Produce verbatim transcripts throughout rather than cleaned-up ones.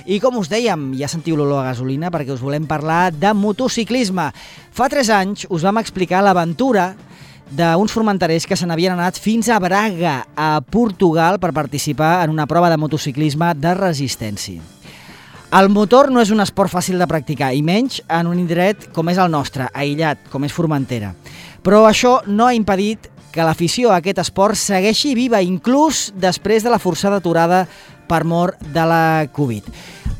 I com us dèiem, ja sentiu l'olor a gasolina perquè us volem parlar de motociclisme. Fa tres anys us vam explicar l'aventura d'uns formenterers que se n'havien anat fins a Braga, a Portugal, per participar en una prova de motociclisme de resistència. El motor no és un esport fàcil de practicar, i menys en un indret com és el nostre, aïllat, com és Formentera. Però això no ha impedit que l'afició a aquest esport segueixi viva, inclús després de la forçada aturada per mort de la Covid.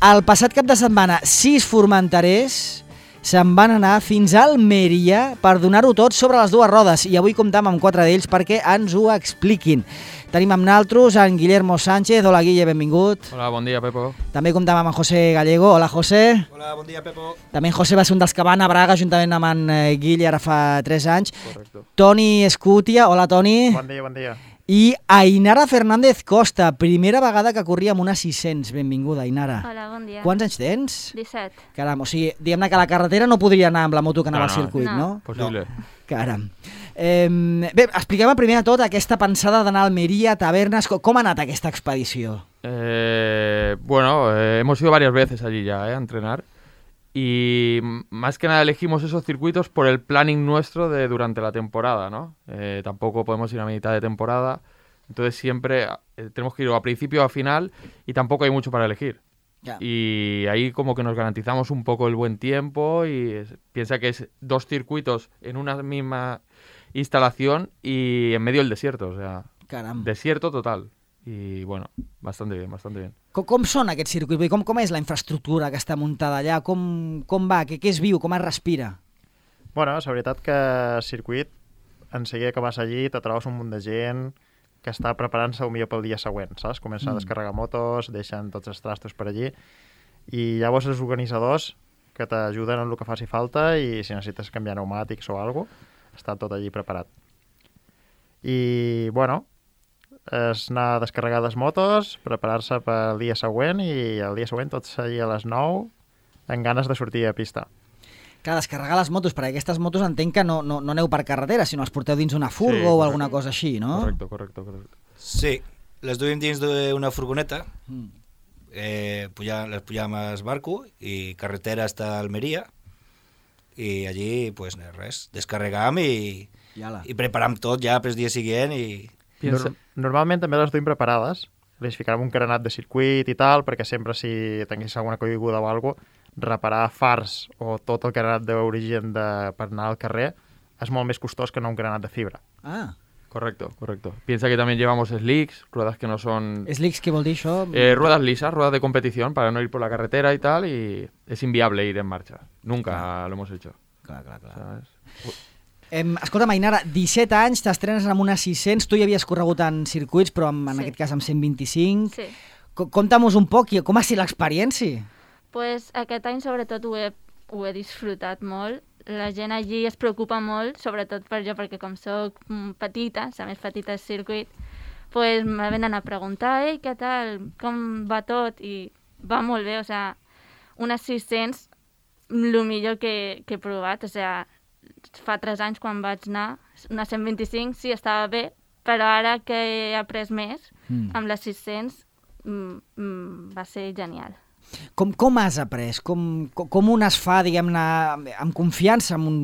El passat cap de setmana, sis formenterers se'n van anar fins a Almeria per donar-ho tot sobre les dues rodes, i avui comptam amb quatre d'ells perquè ens ho expliquin. Tenim amb naltros en Guillermo Sánchez. Hola, Guille, benvingut. Hola, bon dia, Pepo. També comptam amb en José Gallego. Hola, José. Hola, bon dia, Pepo. També en José va ser un dels que van a Braga juntament amb en Guille ara fa tres anys. Correcto. Toni Escutia. Hola, Toni. Bon dia, bon dia. I Ainara Fernández Costa, primera vegada que corria amb una sis cents. Benvinguda, Ainara. Hola, bon dia. Quants anys tens? disset. Caram, o sigui, diguem-ne que a la carretera no podria anar amb la moto que anava No, al circuit, no? no. Possible. Caram. Eh, bé, expliquem primer de tot aquesta pensada d'anar a Almeria, tavernes. Com, com ha anat aquesta expedició? Eh, bueno, eh, hemos ido varias veces allí ya, eh, a entrenar. Y más que nada elegimos esos circuitos por el planning nuestro de durante la temporada, ¿no? Eh, tampoco podemos ir a mitad de temporada, entonces siempre eh, tenemos que ir a principio o a final y tampoco hay mucho para elegir. Ya. Y ahí como que nos garantizamos un poco el buen tiempo y es, piensa que es dos circuitos en una misma instalación y en medio del desierto, o sea, Caram. desierto total. Y bueno, bastante bien, bastante bien. Com, com són aquests circuits? Com, com és la infraestructura que està muntada allà? Com, com va? Què, què es viu? Com es respira? Bueno, és veritat que el circuit, en seguida que vas allí, te trobes un munt de gent que està preparant-se millor pel dia següent, saps? Comença Mm. a descarregar motos, deixen tots els trastos per allí, i llavors els organitzadors que t'ajuden en el que faci falta, i si necessites canviar pneumàtics o alguna cosa, està tot allí preparat. I, bueno, és anar a descarregar les motos, preparar-se pel dia següent, i el dia següent tots allí a les nou amb ganes de sortir a pista. Clar, descarregar les motos, perquè aquestes motos entenc que no, no, no aneu per carretera, sinó les porteu dins una furgo Sí, o correcte. alguna cosa així, no? Correcto, correcto, correcto. Sí, les duim dins d'una furgoneta, Mm. eh, puja, les pujam al barco i carretera hasta Almeria, i allí, pues res, descarregam i, I ala. i preparam tot ja pel dia següent i... Piensa- Nor Normalment també les duim preparades, les ficarem un carenat de circuit i tal, perquè sempre si tingués alguna caiguda o alguna cosa, reparar fars o tot el carenat d'origen de, per anar al carrer és molt més costós que no un carenat de fibra. Ah, Correcto, correcto. Piensa que también llevamos slicks, ruedas que no son... slicks, què vol dir això? eh, ruedas lisas, ruedas de competición para no ir por la carretera y tal, y es inviable ir en marcha. Nunca lo hemos hecho, Clar, clar, clar. ¿sabes? Em, escolta, Ainara, disset anys, t'estrenes amb una sis cents, tu ja havies corregut en circuits, però en, en Sí. aquest cas amb cent vint-i-cinc. Sí. Co- Conta'm-nos un poc, i com ha sigut l'experiència? Pues aquest any sobretot ho he, ho he disfrutat molt. La gent allí es preocupa molt, sobretot per jo, perquè com sóc mm, petita, la més petita del circuit, pues me venen a preguntar, ei, què tal, com va tot? I va molt bé, o sea, unes sis cents, el millor que, que he provat, o sea, fa tres anys quan vaig anar, una cent vint-i-cinc sí estava bé, però ara que he après més, Mm. amb les sis cents, mm, mm, va ser genial. Com, com has après? Com, com, com un es fa, diguem-ne, amb confiança amb un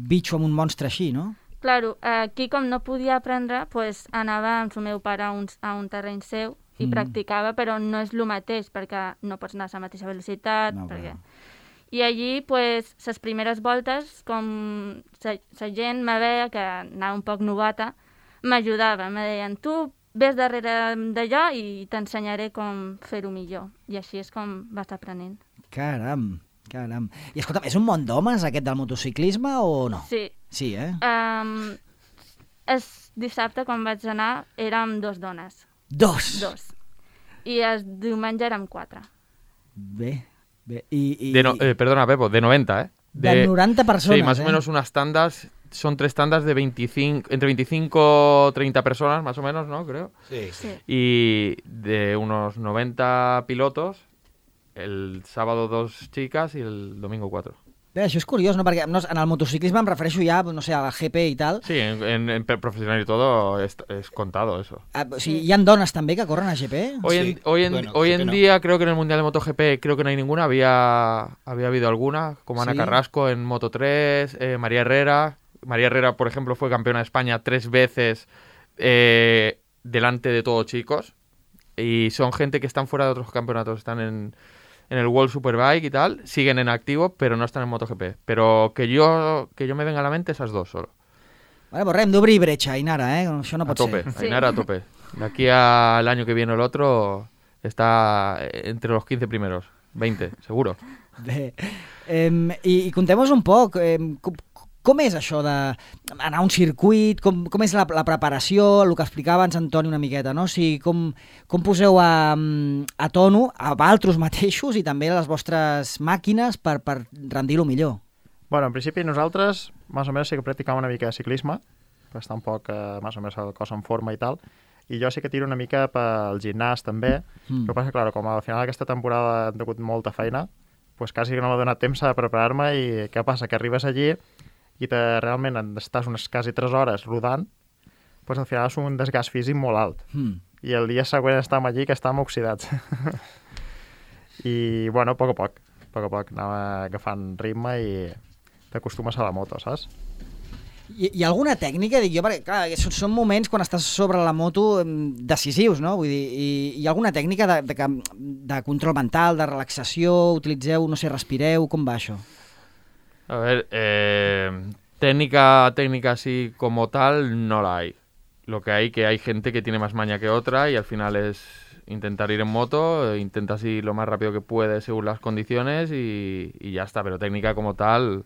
bitxo, amb un monstre així, no? Claro, aquí com no podia aprendre, pues, anava amb el meu pare a un, a un terreny seu i Mm. practicava, però no és el mateix, perquè no pots anar a la mateixa velocitat. No, perquè... clar. I allí, pues, les primeres voltes, com la gent me veia que anava un poc novata, m'ajudava, me deien, tu ves darrere d'allò i t'ensenyaré com fer-ho millor. I així és com vas aprenent. Caram, caram. I escolta'm, és un món d'homes aquest del motociclisme o no? Sí. Sí, eh? Um, el dissabte, quan vaig anar, érem dos dones. Dos! Dos. I el diumenge érem quatre. Bé, bé. I, i, De no- eh, perdona, Pepo, de noventa, ¿eh? de noranta persones, Sí, más o eh? menos unas tandas, son tres tandas de veinticinco, entre veinticinco o treinta personas, más o menos, ¿no? Creo. Sí, Sí. Y de unos noventa pilotos, el sábado dos chicas y el domingo cuatro. Bé, això és curiós, no? Perquè no, en el motociclisme em refereixo ja, no sé, a la G P i tal. Sí, en, en, en profesional y todo es, es contado eso. Ah, o sigui, hi ha dones també que corren a G P? Hoy en, Sí, hoy en, bueno, hoy G P en no. día creo que en el Mundial de MotoGP creo que no hay ninguna, había, había habido alguna, como Ana Sí. Carrasco en Moto tres, eh, María Herrera. María Herrera, por ejemplo, fue campeona de España tres veces eh, delante de todos chicos. Y son gente que están fuera de otros campeonatos, están en, en el World Superbike y tal, siguen en activo, pero no están en MotoGP. Pero que yo, que yo me venga a la mente esas dos solo. Vale, pues res, hem d'obrir bretxa, Ainara, eh? Això no A pot tope, ser. Sí. Ainara a tope. De aquí al año que viene o el otro está entre los quince primeros, veinte, seguro. Bé, eh, i, i contem-nos un poc, eh, com, com és això d'anar a un circuit, com, com és la, la preparació, el que explicava abans Antoni una miqueta, no? O sigui, com, com poseu a, a tono a altres mateixos i també a les vostres màquines per, per rendir-lo millor. Bueno, en principi nosaltres, més o menys, sí que practicàvem una mica de ciclisme, per estar un poc, eh, més o menys, el cos en forma i tal, i jo sí que tiro una mica pel gimnàs també, Mm. el que passa, clar, com al final d'aquesta temporada he tingut molta feina, pues quasi que no m'ha donat temps a preparar-me i què passa? Que arribes allí i te, realment estàs unes quasi tres hores rodant, pues al final és un desgast físic molt alt. Mm. I el dia següent estàvem allí que estàvem oxidats. I, bueno, a poc a poc, a poc a poc anava agafant ritme i t'acostumes a la moto, saps? Hi, hi ha alguna tècnica? Dic jo, perquè clar, són, són moments quan estàs sobre la moto em, decisius, no? Vull dir, i, hi ha alguna tècnica de, de, de, de control mental, de relaxació, utilitzeu, no sé, respireu, com va això? A ver, eh, técnica, técnica así como tal no la hay. Lo que hay que hay gente que tiene más maña que otra y al final es intentar ir en moto, eh, intentas ir lo más rápido que puedes según las condiciones y, y ya está, pero técnica como tal,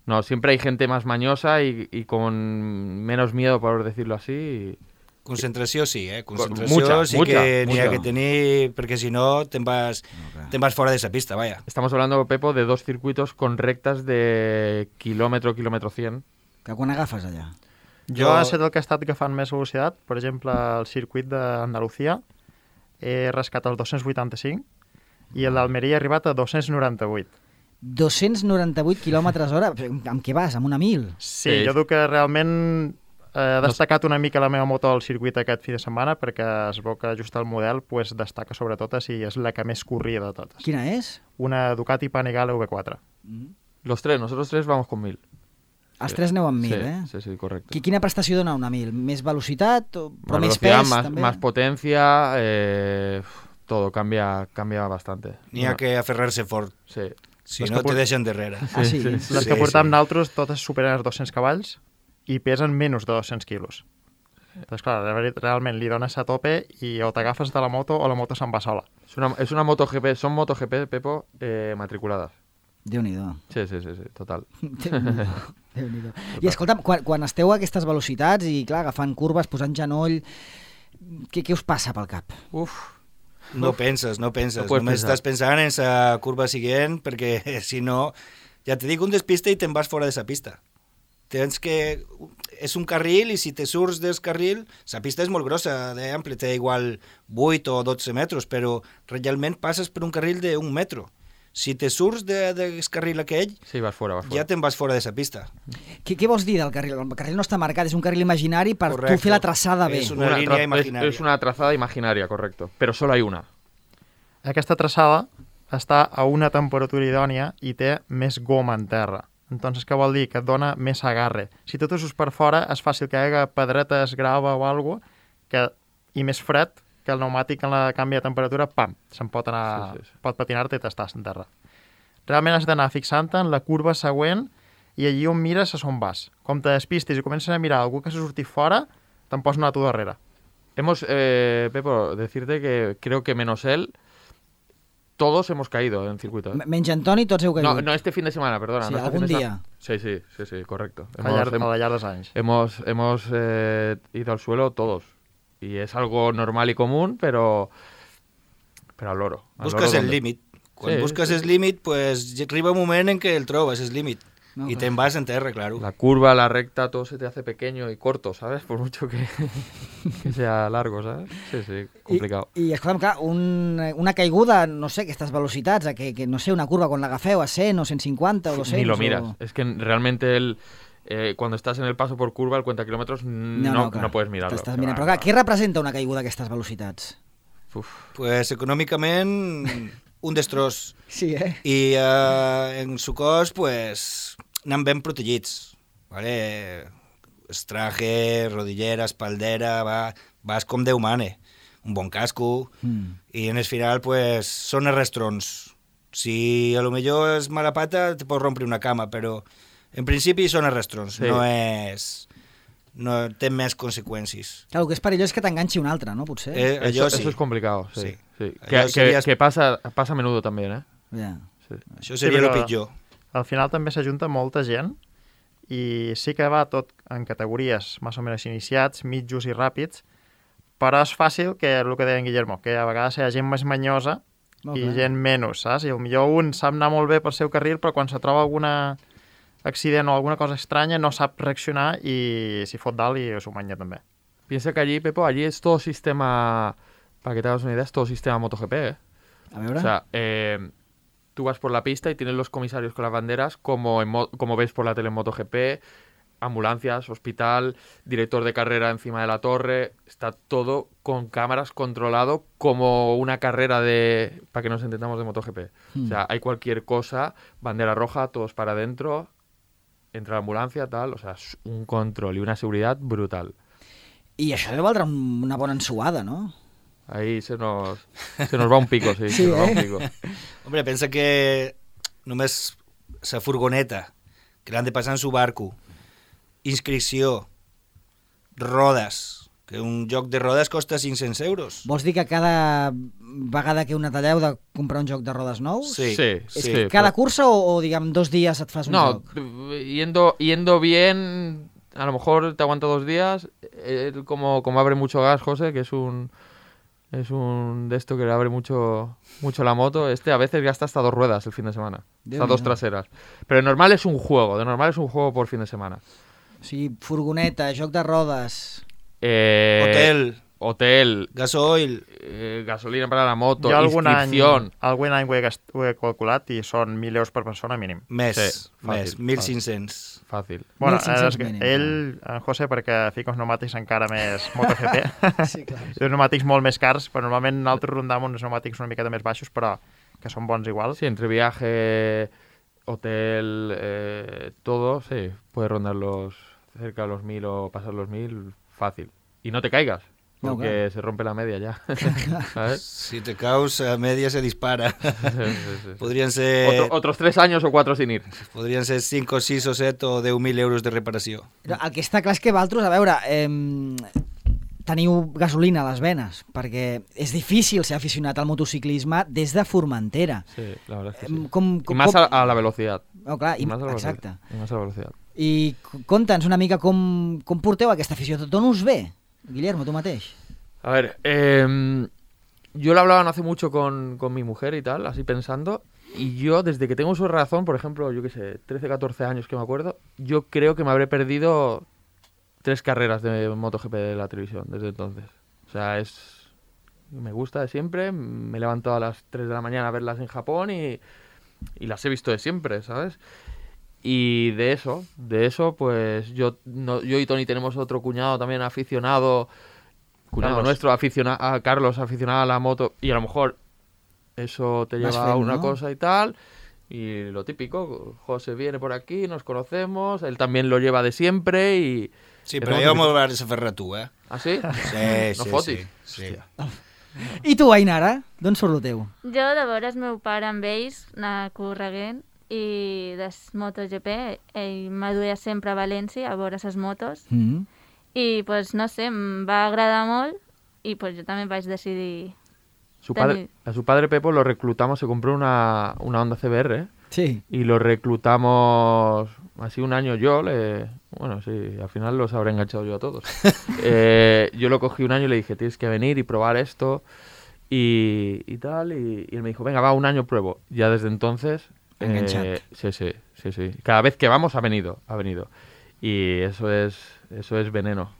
no, siempre hay gente más mañosa y, y con menos miedo, por decirlo así. Concentració sí, eh? Concentració Mucha, sí mucha, que n'hi ha mucha. que tenir, perquè si no te'n vas, No, clar. te'n vas fora de esa pista, vaya. Estamos hablando, Pepo, de dos circuitos con rectas de kilómetro, kilómetro cien. Que quan agafes allà? Jo, Jo- he estat el que ha estat agafant més velocitat, per exemple, el circuit d'Andalucía, he rascat els dos-cents vuitanta-cinc i el d'Almeria ha arribat a dos-cents noranta-vuit. dos-cents noranta-vuit quilòmetres hora? Amb què vas? Amb una mil? Sí, Sí. jo dic que realment he destacat una mica la meva moto al circuit aquest fi de setmana perquè es veu que just el model pues, destaca sobretot si és la que més corria de totes. Quina és? Una Ducati Panigale V quatre. Mm. Los tres, nosotros tres vamos con mil. Els Sí. tres aneu amb mil, sí, eh? Sí, sí, correcto. Qui- Quina prestació dona una mil? Més velocitat? O... Però Más més velocidad, pes, más, també? más potencia, eh, todo cambia, cambia bastante. N'hi ha Bueno, que aferrar-se fort, Sí. si Les no que te por- deixen darrere. Ah, sí? Sí, Les Sí, que portam sí. nosaltres totes superen els dos-cents cavalls i pesen menys de dos-cents quilos. Doncs clar, re- realment li dones a tope i o t'agafes de la moto o la moto se'n va sola. Es una, es una MotoGP, son MotoGP, Pepo, eh, matriculadas. Déu-n'hi-do. Sí, sí, sí, sí, total. Déu-n'hi-do. Déu-n'hi-do. I escolta'm, quan, quan esteu a aquestes velocitats i, clar, agafant curves, posant genoll, què, què us passa pel cap? Uf, No penses, no penses. No puedes Només pensar. estàs pensant en la curva següent perquè si no, ja te dic un despiste i te'n vas fora de la pista. Tens que... És un carril i si te surts del carril, la pista és molt grossa, d'ample, té igual vuit o dotze metres, però realment passes per un carril d'un metro. Si te surts de, del carril aquell, sí, vas fuera, vas fuera. ja te'n vas fora de la pista. Què, què vols dir del carril? El carril no està marcat, és un carril imaginari per Correcte. tu fer la traçada bé. És una línia tra- imaginaria. Es, es una trazada imaginaria, correcto. Pero solo hay una. Aquesta traçada està a una temperatura idònia i té més goma en terra. Entonces, què vol dir? Que et dona més agarre. Si tu te surts per fora, és fàcil que hi hagi pedretes, grava o alguna que i més fred, que el pneumàtic en la canvi de temperatura, pam, se'n pot anar, Sí, sí, sí. pot patinar-te i t'estàs en terra. Realment has d'anar fixant-te en la curva següent i allí on mires és on vas. Com te despistis i comences a mirar algú que s'ha sortit fora, te'n pots anar tu darrere. Hemos, eh, Pepo, decirte que creo que menos él, todos hemos caído en circuito. ¿eh? M- Menys Antoni, tots heu caigut. No, no este fin de semana, perdona. Sí, no este algún fin de día. sema- Sí, sí, sí, sí, correcto. Al llarg, Hemos, al llarg dels anys. hemos, hemos eh, ido al suelo todos. Y es algo normal y común, pero, pero al loro. Al Busques loro el donde- límit. Quan Sí, busques sí, el sí. límit, pues, arriba un moment en què el trobes, el límit. No, y clar. te vas en terra, claro. La curva, la recta, todo se te hace pequeño y corto, ¿sabes? Por mucho que, que sea largo, ¿sabes? Sí, sí, complicado. I, i escolta'm, clar, un, una caiguda, no sé, aquestes velocitats, a que, que no sé, una curva quan l'agafeu a cent o cent cinquanta o doscientos... Ni lo miras. O... Es que realmente el, eh, cuando estás en el paso por curva, el cuenta kilómetros, no, no, clar, no puedes mirarlo. T'estàs mirant. Però clar, què representa una caiguda d'aquestes velocitats? Uf. Pues econòmicament, un destroç. Sí, eh? I eh, en su cos, pues, anem ben protegits. Vale? Estraje, rodillera, espaldera, va, vas com Déu mane. Un bon casco. Mm. I en el final, pues, són arrastrons. Si a lo millor és mala pata, te pots rompre una cama, però en principi són arrastrons. Sí. No és... No té més conseqüències. Clar, el que és perillós és que t'enganxi un altre, no? Potser. Eh, Eso, allò sí. eso es complicado, sí. Sí. sí. Allò Que, que, seria- que pasa, pasa a menudo también, ¿eh? Ja. Sí. Això seria Sí, el però- pitjor. Al final també s'ajunta molta gent i sí que va tot en categories més o menys iniciats, mitjos i ràpids, però és fàcil que, el que deia en Guillermo, que a vegades hi ha gent més manyosa Molt i bé. gent menys, saps? I potser un sap anar molt bé pel seu carril, però quan se troba alguna accident o alguna cosa estranya no sap reaccionar i s'hi fot dalt i s'ho manya també. Piensa que allí, Pepo, allí es todo sistema, para que te hagas una idea, es todo sistema MotoGP, ¿eh? A veure... O sea, eh, tú vas por la pista y tienes los comisarios con las banderas, como, en mo- como ves por la tele en MotoGP, ambulancias, hospital, director de carrera encima de la torre, está todo con cámaras controlado como una carrera de, para que nos entendamos, de MotoGP. Mm. O sea, hay cualquier cosa, bandera roja, todos para adentro, entra la ambulancia, tal, o sea, es un control y una seguridad brutal. I això deu valdre un- una bona ensuada, no? Ahí se nos, se nos va un pico, sí, Sí, se nos va un eh? pico. Hombre, pensa que només la furgoneta, que l'han de passar en su barco, inscripció, rodes, que un joc de rodes costa cinc-cents euros. Vols dir que cada vegada que una talleu de comprar un joc de rodes nous? Sí, Sí, És sí, que cada però- cursa o, o, diguem, dos dies et fas un No, joc? yendo, yendo bien, a lo mejor te aguanta dos días. Él como, como abre mucho gas, José, que es un es un de esto que le abre mucho mucho la moto, este a veces gasta hasta dos ruedas el fin de semana. Déu Hasta dos n'hi do. traseras. Pero de normal es un juego, de normal es un juego por fin de semana. O sigui, furgoneta, joc de rodes... Eh, Hotel, Hotel, gasoil, eh, gasolina para la moto, Jo algun any, inscripción. algun any ho he, gast, ho he calculat i són mil euros per persona mínim. més, Sí, més, fàcil, mil cinc-cents. Fácil. Bueno, mil cinc-cents és que mínim, ell, en José, perquè fica uns pneumàtics encara més MotoGP, Sí, clar. uns pneumàtics molt més cars, però normalment nosaltres rondam uns pneumàtics una miqueta més baixos, però que són bons igual. Sí, entre viaje, hotel, eh, todo, sí, puedes rondar los cerca de los mil o pasar los mil fácil. Y no te caigas, No, porque claro. se rompe la media ya. ¿Sabes? Si te caus, a media se dispara. Sí, sí, sí. Podrien ser, Otro- otros tres años o cuatro sin ir. podrien ser cinc o sis o set o deu mil euros de reparació. Però el que està clar és que Valtros, a veure, eh, teniu gasolina a les venes, perquè és difícil ser aficionat al motociclisme des de Formentera. Sí, la verdad es que Em, sí. Com, Y com, más com... a, a la velocidad. Oh, clar, Y i, más a la velocidad. exacte. Y más a la velocidad. I c- conta'ns una mica com, com porteu aquesta afició. D'on us ve, Guillermo, tu mateix? A ver, eh, yo lo hablaba no hace mucho con, con mi mujer y tal, así pensando, y yo desde que tengo su razón, por ejemplo, yo qué sé, trece, catorce años que me acuerdo, yo creo que me habré perdido tres carreras de MotoGP de la televisión desde entonces. O sea, es me gusta de siempre, me he levantado a las tres de la mañana a verlas en Japón y, y las he visto de siempre, ¿sabes? Y de eso, de eso, pues yo, no, yo y Tony tenemos otro cuñado también aficionado, cuñado Carlos. nuestro, aficionado a Carlos, aficionado a la moto, y a lo mejor eso te Vas lleva a fent, una ¿no? cosa y tal. Y lo típico, José viene por aquí, nos conocemos, él también lo lleva de siempre y... Sí, És però molt jo típic. m'ho vas a fer tu, eh? ¿Ah, sí? Sí, No sí, fotis. sí. sí. I tu, Ainara, d'on surt el teu? Jo, de veure el meu pare amb ells, anar correguent, i des MotoGP, ell m'aduia sempre a València a veure les motos, Mm -hmm. i, pues, no sé, em va agradar molt, i pues, jo també vaig decidir... Su Tenía- padre, a su padre Pepo lo reclutamos, se compró una, una Honda C B R, ¿eh? Sí. Y lo reclutamos así un año yo, le, bueno, sí, al final los habré enganchado yo a todos. Eh, yo lo cogí un año y le dije, tienes que venir y probar esto y, y tal, y, y él me dijo, venga, va, un año pruebo. Ya desde entonces, Enganchado. Eh, sí, sí, sí, sí. Cada vez que vamos ha venido, ha venido. Y eso es, eso es veneno.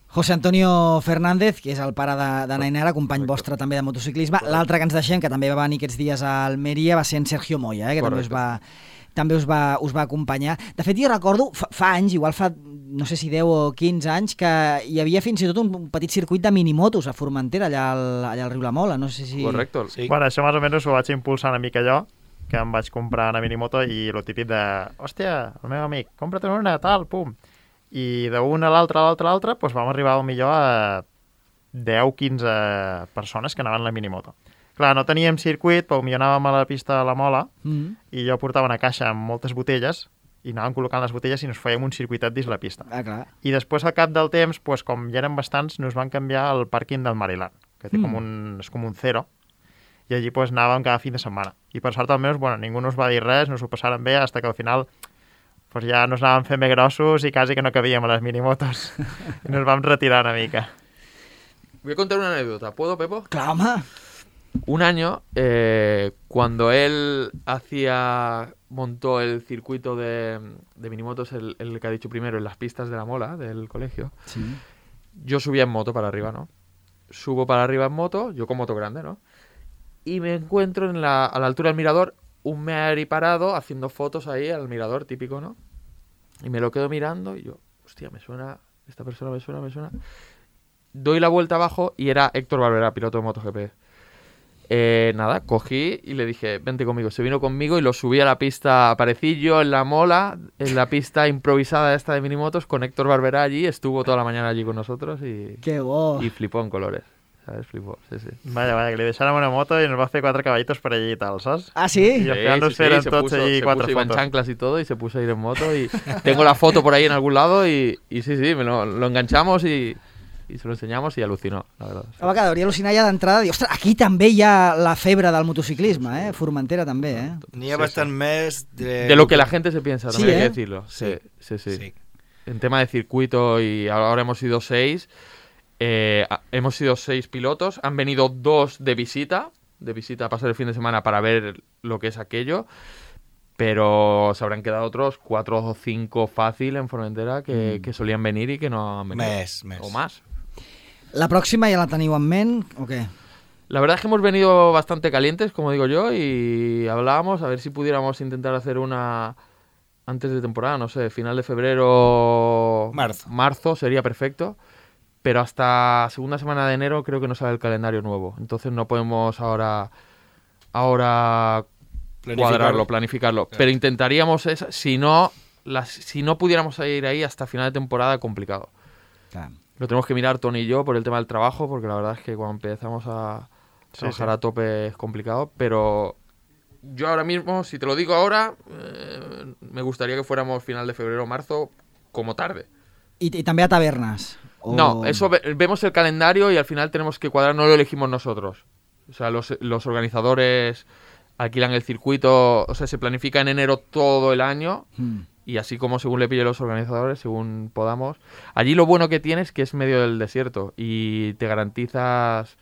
José Antonio Fernández, que és el pare de, de Nainara, company Correcte. vostre també de motociclisme. L'altre que ens deixem, que també va venir aquests dies a Almeria, va ser en Sergio Moya, eh, que també us va, també us va, us va acompanyar. De fet, jo recordo, fa, fa anys, igual fa, no sé si deu o quinze anys, que hi havia fins i tot un petit circuit de minimotos a Formentera, allà al, allà al riu La Mola. No sé si... Correcto. Sí. Bueno, això més o menys ho vaig impulsar una mica jo, que em vaig comprar una minimoto i lo típic de, hòstia, el meu amic, compra't una, tal, pum. I d'una a l'altra, a l'altra, a l'altra, doncs vam arribar millor a deu o quinze persones que anaven a la minimoto. Clar, no teníem circuit, però millor anàvem a la pista de la Mola Mm. i jo portava una caixa amb moltes botelles i anàvem col·locant les botelles i nos fèiem un circuitet dins la pista. Ah, clar. I després, al cap del temps, doncs, com ja eren bastants, nos van canviar al pàrquing del Maryland, que té Mm. com un, és com un zero, i allí doncs, anàvem cada fin de setmana. I per sort almenys, bueno, ningú nos va dir res, nos ho passaren bé, fins que al final pues ja nos anàvem fent més grossos i quasi que no cabíem a les minimotos. I nos vam retirar una mica. Voy a contar una anécdota. ¿Puedo, Pepo? Clar, home. Un año, eh, cuando él hacía, montó el circuito de, de minimotos, el, el que ha dicho primero, en las pistas de la Mola del colegio, Sí. yo subía en moto para arriba, ¿no? Subo para arriba en moto, yo con moto grande, ¿no? Y me encuentro en la, a la altura del mirador un Meari parado haciendo fotos ahí al mirador típico, ¿no? Y me lo quedo mirando y yo, hostia, me suena, esta persona me suena, me suena. Doy la vuelta abajo y era Héctor Barberá, piloto de MotoGP. Eh, nada, cogí y le dije, vente conmigo. Se vino conmigo y lo subí a la pista. Aparecí yo en la Mola, en la pista improvisada esta de minimotos, con Héctor Barberá allí. Estuvo toda la mañana allí con nosotros y, Que bo. y flipó en colores. ¿Sabes? Flipó, sí, sí. Vaya, vaya, que li deixàrem una moto i nos va fer quatre cavallitos per allí i tal, saps? Ah, I sí? al final nos feren se tots puso, allí se quatre puso, iba en fotos. chanclas y todo y se puso a ir en moto y tengo la foto por ahí en algún lado y, y sí, sí, me lo, lo enganchamos y, y se lo enseñamos y alucinó, la verdad. Sí. Home, que hauria al·lucinar ja d'entrada. Dir, ostres, aquí també hi ha la febre del motociclisme, eh? Formentera també, eh? N'hi ha Sí, bastant sí. més de... De lo que la gente se piensa, Sí, también hay ¿eh? que decirlo. Sí, sí, sí, Sí. En tema de circuito, y ahora hemos sido seis, eh, a- hemos sido seis pilotos, han venido dos de visita, de visita a pasar el fin de semana para ver lo que es aquello, pero se habrán quedado otros cuatro o cinco fácil en Formentera que, Mm. que solían venir y que no han venido. Més, més. O más. La pròxima ja la teniu en ment o què? La verdad es que hemos venido bastante calientes, como digo yo, y hablábamos a ver si pudiéramos intentar hacer una antes de temporada, no sé, final de febrero, Marzo. marzo sería perfecto, pero hasta segunda semana de enero creo que no sale el calendario nuevo, entonces no podemos ahora ahora Planificarlo. cuadrarlo, planificarlo, Claro. pero intentaríamos esa, si no las, si no pudiéramos ir ahí hasta final de temporada complicado. Clar. Lo tenemos que mirar Tony y yo por el tema del trabajo, porque la verdad es que cuando empezamos a Sí, trabajar sí. a tope es complicado, pero yo ahora mismo, si te lo digo ahora, eh, me gustaría que fuéramos final de febrero o marzo como tarde. I, I també a tavernes? O... No, eso ve- vemos el calendario y al final tenemos que cuadrar, no lo elegimos nosotros. O sea, los, los organizadores alquilan el circuito, o sea, se planifica en enero todo el año. Mm. Y así como según le pille los organizadores, según podamos. Allí lo bueno que tienes es que es medio del desierto y te garantizas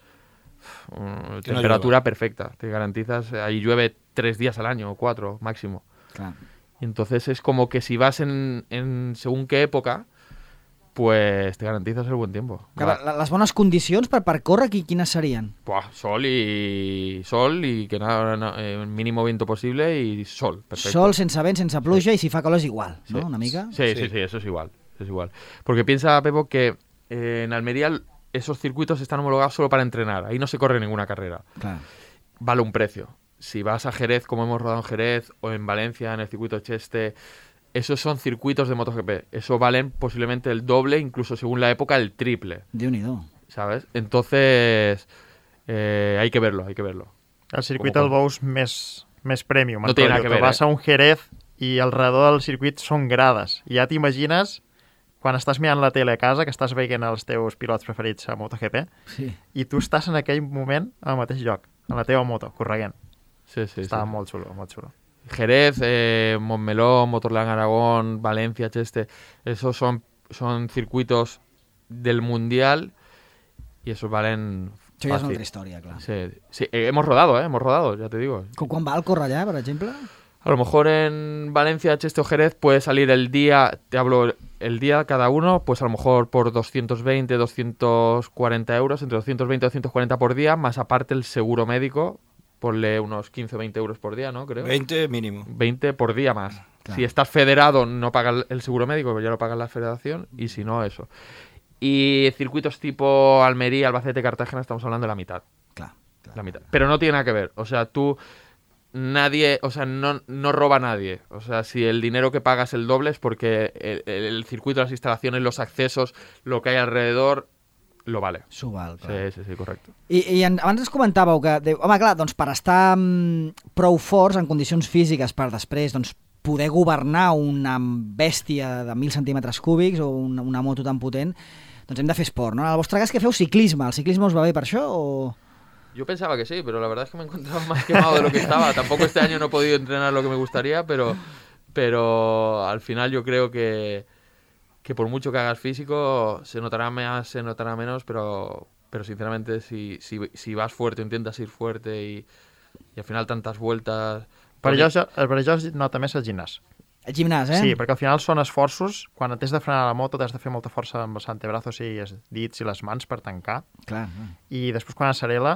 uh, Que no temperatura llueva. perfecta. Te garantizas, ahí llueve tres días al año o cuatro máximo. Clar. Y entonces es como que si vas en, en según qué época, pues te garantizas el buen tiempo. Que Va- la- les bones condicions per, per córrer, qui, quines serien? Buah, sol y sol y que nada, na- eh, mínimo viento posible y sol. Perfecto. Sol, sense vent, sense pluja, i si fa calor és igual, Sí. no? Una mica? Sí, sí, Sí. sí, eso es igual. Eso es igual. Porque piensa, Pepo, que eh, en Almería esos circuitos están homologados solo para entrenar. Ahí no se corre ninguna carrera. Clar. Vale un precio. Si vas a Jerez, como hemos rodado en Jerez, o en Valencia, en el circuito Cheste, esos son circuitos de MotoGP. Eso valen posiblemente el doble, incluso según la época, el triple. Déu-n'hi-do. ¿Sabes? Entonces, eh, hay que verlo, hay que verlo. El circuit Com- el veus més, més premium. No en té nada rotllo. que Tu ver, vas eh? a un Jerez i al redor del circuit són grades. I ja t'imagines quan estàs mirant la tele a casa, que estàs veient els teus pilots preferits a MotoGP, Sí. i tu estàs en aquell moment al mateix lloc, a la teva moto, correguent. Sí, sí, Estava sí. molt xulo, molt xulo. Jerez, eh, Montmeló, Motorland Aragón, Valencia, Cheste, esos son, son circuitos del Mundial y esos valen Això ja és una fácil. altra història, clar. Sí, sí, eh, hemos rodado, eh, hemos rodado, ya te digo. Com quan va el córrer allà, per exemple? A lo mejor en Valencia, Cheste o Jerez puede salir el día, te hablo el día cada uno, pues a lo mejor por doscientos veinte, doscientos cuarenta euros, entre doscientos veinte y doscientos cuarenta por día, más aparte el seguro médico, ponle unos quince o veinte euros por día, ¿no? Creo. veinte mínimo. veinte por día más. Claro. Si estás federado no pagas el seguro médico, pero ya lo paga la federación, y si no, eso. Y circuitos tipo Almería, Albacete, Cartagena, estamos hablando de la mitad. Clar, clar. La mitad. Pero no tiene nada que ver. O sea, tú... Nadie, o sea, no, no roba a nadie. O sea, si el dinero que pagas es el doble es porque el, el, el circuito, las instalaciones, los accesos, lo que hay alrededor, lo vale. S'ho val, clar. Sí, sí, sí, correcte. I, i en, abans ens comentàveu que, de, home, clar, doncs per estar mm, prou forts en condicions físiques per després doncs, poder governar una bèstia de mil centímetres cúbics o una, una moto tan potent, doncs hem de fer esport, no? En el vostre cas que feu ciclisme, ¿el ciclisme us va bé per això o...? Yo pensaba que sí, pero la verdad es que me he encontrado más quemado de lo que estaba. Tampoco este año no he podido entrenar lo que me gustaría, pero, pero al final yo creo que, que por mucho que hagas físico, se notará más, se notará menos, pero, pero sinceramente si, si, si vas fuerte, intentas ir fuerte y, y al final tantas vueltas... Per allò, per allò es nota més el gimnàs. El gimnàs, eh? Sí, perquè al final són esforços. Quan t'has de frenar la moto, t'has de fer molta força amb els antebrazos i els dits i les mans per tancar. Clar, clar. I després, quan accelera,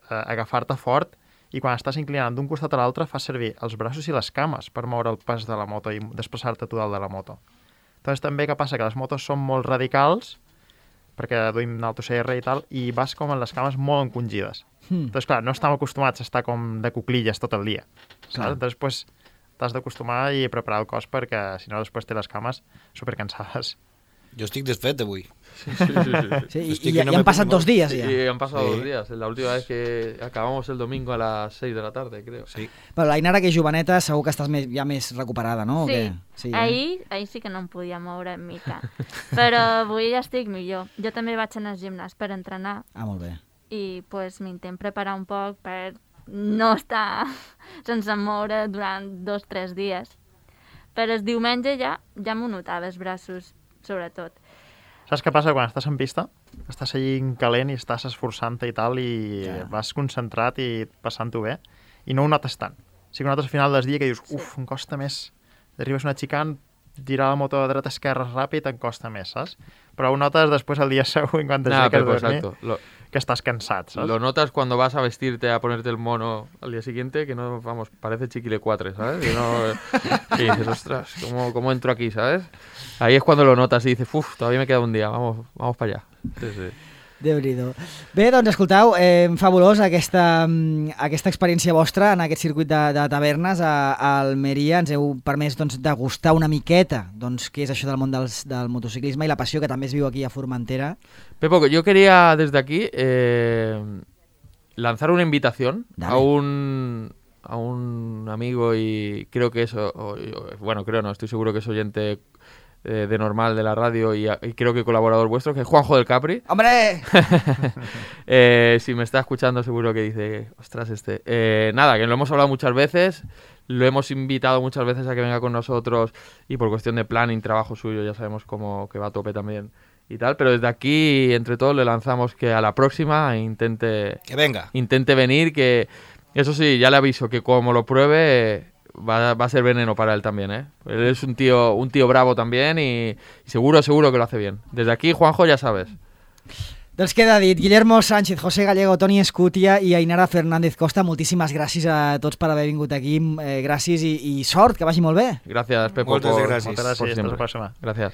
eh, agafar-te fort, i quan estàs inclinant d'un costat a l'altre, fas servir els braços i les cames per moure el pas de la moto i desplaçar-te tu dalt de la moto. Doncs també que passa que les motos són molt radicals, perquè duim Alto C R i tal, i vas com amb les cames molt encongides. Hmm. Doncs clar, no estem acostumats a estar com de cuclilles tot el dia. Clar. Saps? Doncs pues, t'has d'acostumar i preparar el cos perquè si no després té les cames supercansades. Jo estic desfet avui. Sí, sí, sí, sí. Sí, i, Estic i, que no i me han passat pongo- dos dies Sí, ja. y han pasado Sí. dos días. La última vez que acabamos el domingo a las seis de la tarde, creo. Sí. Però l'Ainara, que és joveneta, segur que estàs més, ja més recuperada, no? O Sí, què? Sí, eh? ahir, ahir sí que no em podia moure en mica, però avui ja estic millor. Jo també vaig anar al gimnàs per entrenar Ah, molt bé. i pues, m'intent preparar un poc per no estar sense moure durant dos o tres dies. Però el diumenge ja, ja m'ho notava, els braços, sobretot. Saps què passa quan estàs en pista? Estàs allí calent i estàs esforçant-te i tal, i Ja. vas concentrat i passant-ho bé, i no ho notes tant. Sí que ho notes al final del dia que dius, uf, em costa més. Arribes una xicant, tirar la moto a dreta esquerra ràpid, em costa més, saps? Però ho notes després el dia següent quan Nada, t'aixeques pero a dormir, exacto. Lo, que estàs cansat, saps? lo notas cuando vas a vestirte, a ponerte el mono al día siguiente, que no, vamos, parece chiquile cuatre, ¿sabes? Que no, y dices, ostras, ¿cómo, ¿cómo entro aquí, ¿sabes? Ahí es cuando lo notas y dices, uff, todavía me queda un día, vamos, vamos para allá. Sí, sí. Déu-n'hi-do. Bé, doncs escoltau, eh, fabulós aquesta, mm, aquesta experiència vostra en aquest circuit de, de tavernes a, a Almeria. Ens heu permès doncs, degustar una miqueta doncs, què és això del món dels, del motociclisme i la passió que també es viu aquí a Formentera. Pepo, yo quería desde aquí eh, lanzar una invitación Dale. a un a un amigo y creo que eso, o- o- bueno, creo no, estoy seguro que es oyente eh, de normal de la radio y, a- y creo que colaborador vuestro, que es Juanjo del Capri. ¡Hombre! Eh, si me está escuchando seguro que dice, ostras, este. Eh, nada, que lo hemos hablado muchas veces, lo hemos invitado muchas veces a que venga con nosotros y por cuestión de planning, trabajo suyo, ya sabemos cómo que va a tope también y tal, pero desde aquí, entre todos, le lanzamos que a la próxima intente, Que venga. intente venir, que eso sí, ya le aviso que como lo pruebe va, va a ser veneno para él también, ¿eh? Él es un tío, un tío bravo también y, y seguro, seguro que lo hace bien. Desde aquí, Juanjo, ya sabes. Doncs queda dit. Guillermo Sánchez, José Gallego, Toni Escutia i Ainara Fernández Costa, moltíssimes gràcies a tots per haver vingut aquí. Eh, gràcies i, i sort, que vagi molt bé. Gracias, Pepo, Moltes por, gràcies. Moltes gràcies, por fins siempre. la pròxima. Gracias.